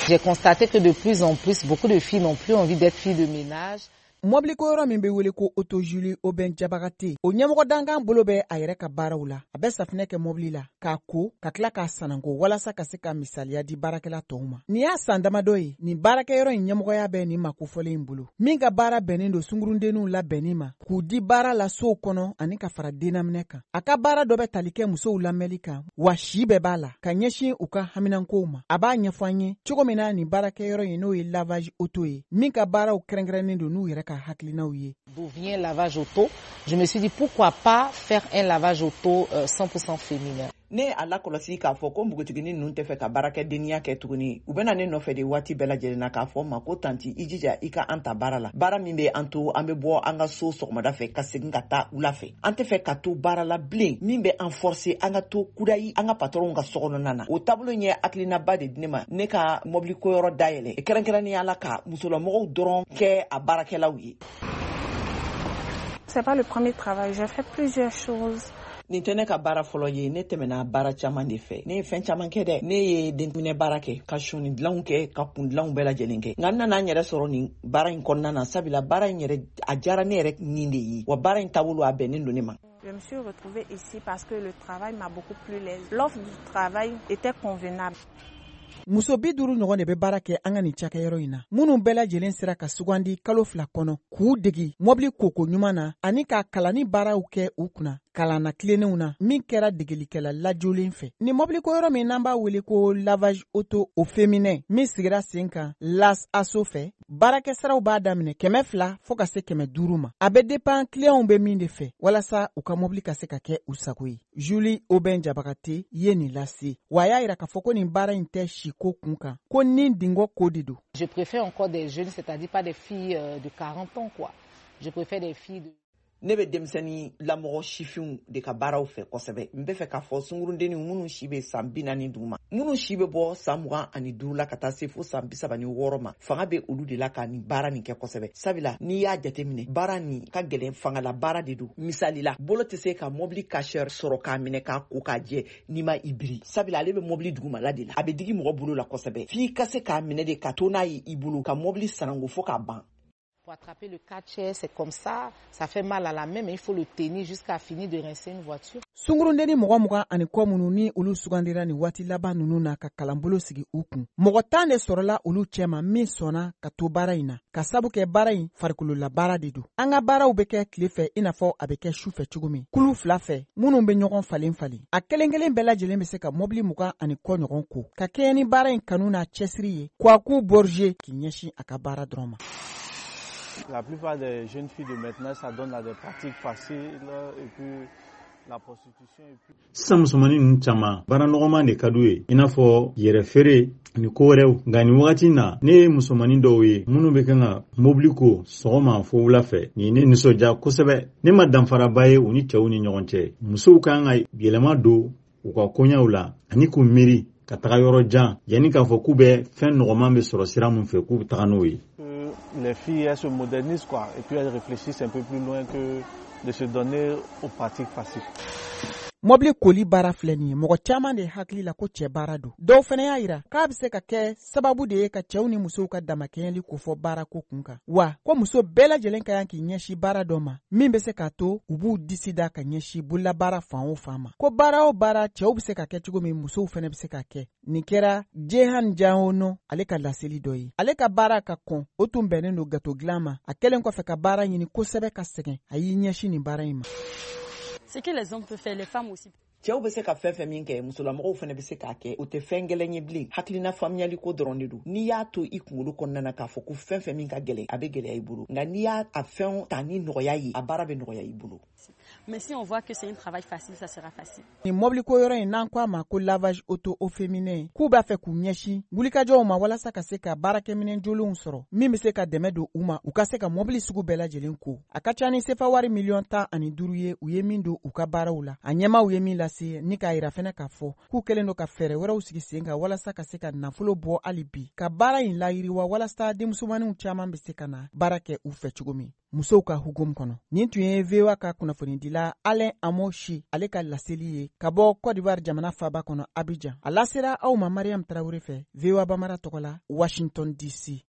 J'ai constaté que de plus en plus, beaucoup de filles n'ont plus envie d'être filles de ménage. Mɔbiliko yɔrɔ min bɛ wele ko Auto Julie Aubin Jabagate, o ɲɛmɔgɔ dankan bolo bɛ a yɛrɛ ka baaraw la. A bɛ safinɛ kɛ mɔbili la k'a ko, ka tila k'a sananko, walasa ka se ka misaliya di baarakɛla tɔw ma. Nin y'a san damadɔ ye nin baarakɛyɔrɔ in ɲɛmɔgɔya bɛ nin ma kofɔlen in bolo, min ka baara bɛnnen don sungurundenninw labɛnni ma k'u di baara la sow kɔnɔ ani ka fara dennaminɛ kan. A ka baara dɔ bɛ tali kɛ musow lamɛnli kan, wa si bɛɛ b'a la ka ɲɛsin u ka haminankow ma. A b'a ɲɛfɔ an ye cogo min na nin baarakɛyɔrɔ in, n'o ye lavage auto ye, min ka baaraw kɛrɛnkɛrɛnnen don n'u yɛrɛ ka hakilinaw ye. D'où vient lavage auto? Je me suis dit, pourquoi pas faire un lavage auto 100% féminin. Ne a lakɔlɔsi k'a fɔ ko npogotiginin ninnu tɛ fɛ ka baarakɛdeniya kɛ tuguni. U bɛna ne nɔfɛ de waati bɛɛ lajɛlen na k'a fɔ ma ko: "Tantie, i jija i ka an ta baara la, baara min bɛ an to an bɛ bɔ an ka so sɔgɔmada fɛ ka segin ka taa wula fɛ. An tɛ fɛ ka to baara la bilen min bɛ an forcer an ka to kudayi an ka patɔrɔnw ka sokɔnɔna na." O taabolo in ye hakilinaba de di ne ma, ne ka mɔbili koyɔrɔ dayɛlɛ kɛrɛnkɛrɛnnenya la ka musolamɔgɔw dɔrɔn kɛ a baarakɛlaw ye. C'est pas le premier travail, j'ai fait plusieurs choses. Nin tɛ ne ka baara fɔlɔ ye. Ne tɛmɛna baara caman de fɛ. Ne ye fɛn caman kɛ dɛ. Ne ye denminɛ baara kɛ, ka sɔni dilanw kɛ, ka kun dilanw bɛɛ lajɛlen kɛ, nka n nana n yɛrɛ sɔrɔ nin baara in kɔnɔna na, sabula baara in yɛrɛ a diyara ne yɛrɛ nin de ye, wa baara in taabolo a bɛnnen don ne ma. Je me suis retrouvée ici parce que le travail m'a beaucoup plu. L'offre du travail était convenable. Muso 50 ɲɔgɔn de bɛ baara kɛ an ka nin cakɛyɔrɔ in na, minnu bɛɛ lajɛlen sera ka sugandi kalo 2 kɔnɔ k'u degi mɔbili koko ɲuman na ani ka kalanni baaraw kɛ u kunna kalanna tilennenw na, min kɛra degelikɛla lajolen fɛ. Nin mɔbiliko yɔrɔ min n'an b'a wele ko lavage auto au féminin, min sigira sen kan Las Aso fɛ, baarakɛsaraw b'a daminɛ 200 fɔɔ ka se 500 ma. A bɛ dépend kiliyanw bɛ min de fɛ walasa u ka mɔbili ka se ka kɛ u sago ye. Julie Aubin Jabagate ye nin lase wa, a y'a yira k'a fɔ ko nin baara in tɛ siko kun kan, ko ni dingɔ ko de don. Je préfère encore des jeunes, c'est-à-dire pas des filles de 40 ans, quoi. Je préfère des filles de Ne bɛ denmisɛnnin lamɔgɔ sifinw de ka baaraw fɛ kosɛbɛ. N bɛ fɛ k'a fɔ sungurundenninw minnu si bɛ san 40 duguma, minnu si bɛ bɔ san 25 la ka taa se fo san 36 ma, fanga bɛ olu de la ka nin baara nin kɛ kosɛbɛ, sabula n'i y'a jateminɛ, baara nin ka gɛlɛn, fangala baara de don. Misali la, bolo tɛ se ka mɔbili Karcher sɔrɔ k'a minɛ k'a ko k'a jɛ n'i ma i biri, sabula ale bɛ mɔbili dugumala de la, a bɛ digi mɔgɔ bolo la kosɛbɛ, f'i ka se k'a minɛ de ka to n'a ye i bolo ka mɔbili sanango fo k'a ban. Pour attraper le Karcher, c'est comme ça, ça fait mal à la main, mais il faut le tenir jusqu'à finir de rincer une voiture. Sungurundenni mɔgɔ 20 ani kɔ minnu ni olu sugandira nin waati laban ninnu na ka kalanbolo sigi u kun, mɔgɔ 10 de sɔrɔla olu cɛma min sɔnna ka to baara in na, ka sabu kɛ baara in farikolola baara de don. An ka baaraw bɛ kɛ tile fɛ i n'a fɔ a bɛ kɛ su fɛ cogo min, kulu fila fɛ minnu bɛ ɲɔgɔn falen falen. A kelen kelen bɛɛ lajɛlen bɛ se ka mɔbili 20 ani kɔ ɲɔgɔn ko, ka kɛɲɛ ni baara in kanu n'a cɛsiri ye. Kwaku Borge k'i ɲɛsin a ka baara dɔrɔn ma. La plupart des jeunes filles de maintenant s'adonnent à des pratiques faciles et puis la prostitution. Et puis Sisan musomanin ninnu caman, baara nɔgɔman de ka d'u ye, i n'a fɔ yɛrɛ feere ani ko wɛrɛw. Nka nin wagati na, ne ye musomanin dɔw ye minnu bɛ kan ka mobili ko sɔgɔma fo wula fɛ. Nin ye ne nisɔndiya kosɛbɛ. Ne ma danfaraba ye u ni cɛw ni ɲɔgɔn cɛ. Musow kan ka yɛlɛma don u ka koɲɛw la ani k'u miiri ka taga yɔrɔ jan yanni k'a fɔ k'u bɛ fɛn nɔgɔman bɛ sɔrɔ sira min fɛ, k'u bɛ taga n'o ye. Les filles, elles se modernisent, quoi, et puis elles réfléchissent un peu plus loin que de se donner aux pratiques faciles. Mɔbili koli baara filɛ nin ye, mɔgɔ caman de hakili la ko cɛ baara don. Dɔw fɛnɛ y'a yira k'a bɛ se ka kɛ sababu de ye ka cɛw ni musow ka damakɛɲɛli kofɔ baarako kun kan, wa ko muso bɛɛ lajɛlen ka kan k'i ɲɛsin baara dɔ ma min bɛ se k'a to u b'u disi da ka ɲɛsin bololabaara fan o fan ma, ko baara o baara cɛw bɛ se ka kɛ cogo min, musow fɛnɛ bɛ se ka kɛ. Nin kɛra Jehan Jahono ale ka laseli dɔ ye. Ale ka baara ka kɔn, o tun bɛnnen don gato dilan ma. A kɛlen kɔfɛ ka baara ɲini kosɛbɛ ka sɛgɛn, a y'i ɲɛsin nin baara in ma. Ce que les hommes peuvent faire, les femmes aussi. Cɛw bɛ se ka fɛn fɛn min kɛ, musolamɔgɔw fana bɛ se k'a kɛ. O tɛ fɛn gɛlɛn ye bilen, hakilina faamuyali ko dɔrɔn de don. N'i y'a to i kunkolo kɔnɔna na k'a fɔ ko fɛn fɛn min ka gɛlɛn, a bɛ gɛlɛya i bolo, nka n'i y'a a fɛn ta ni nɔgɔya ye, a baara bɛ nɔgɔya i bolo. Mais si on voit que c'est un travail facile, ça sera facile. Nin mɔbiliko yɔrɔ in n'an ko a ma ko lavage auto au féminin, k'u b'a fɛ k'u ɲɛsin wulikajɔw ma walasa ka se ka baarakɛminɛn jolenw sɔrɔ min bɛ se ka dɛmɛ don u ma u ka se ka mɔbili sugu bɛɛ lajɛlen ko. A ka ca ni sefa wari miliyɔn 15 ye u ye min don u ka baaraw la. A ɲɛmaw ye min lase ni k'a yira fɛnɛ k'a fɔ k'u kɛlen don ka fɛɛrɛ wɛrɛw sigi sen kan walasa ka se ka nafolo bɔ hali bi ka baara in layiriwa, walasa denmusomaninw caman bɛ se ka na baara kɛ u fɛ cogo min, musow ka hukumu kɔnɔ. Nin tun ye VOA ka kunnafonidila. lasebila Alain Amoshi ale ka laseli ye ka bɔ Cote d'Ivoire jamana faba kɔnɔ Abidjan. A lasera aw ma Mariam Tarawele fɛ, VOA Bambara tɔgɔ la, Washington DC.